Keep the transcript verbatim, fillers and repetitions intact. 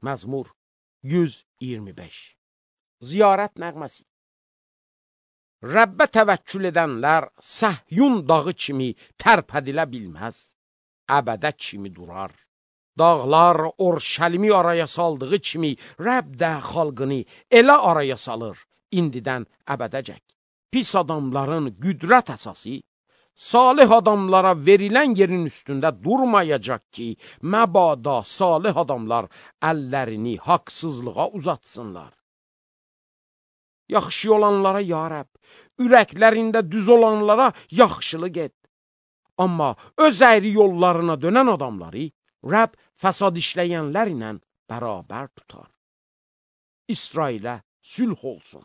Məzmur yüz iyirmi beş. Ziyarət nəğməsi. Rəbbə təvəkkül edənlər Səhyun dağı kimi tərpədilə bilməz, əbədə kimi durar. Dağlar Orşəlimi araya saldığı kimi Rəbb də xalqını elə araya salır, indidən əbədəcək. Pis adamların qüdrət əsası, salih adamlara verilən yerin üstündə durmayacaq ki, məbada salih adamlar əllərini haqsızlığa uzatsınlar. Yaxşı olanlara ya Rəbb, ürəklərində düz olanlara yaxşılıq et. Amma öz əyri yollarına dönən adamları Rəbb fəsad işləyənlər ilə bərabər tutar. İsrailə sülh olsun.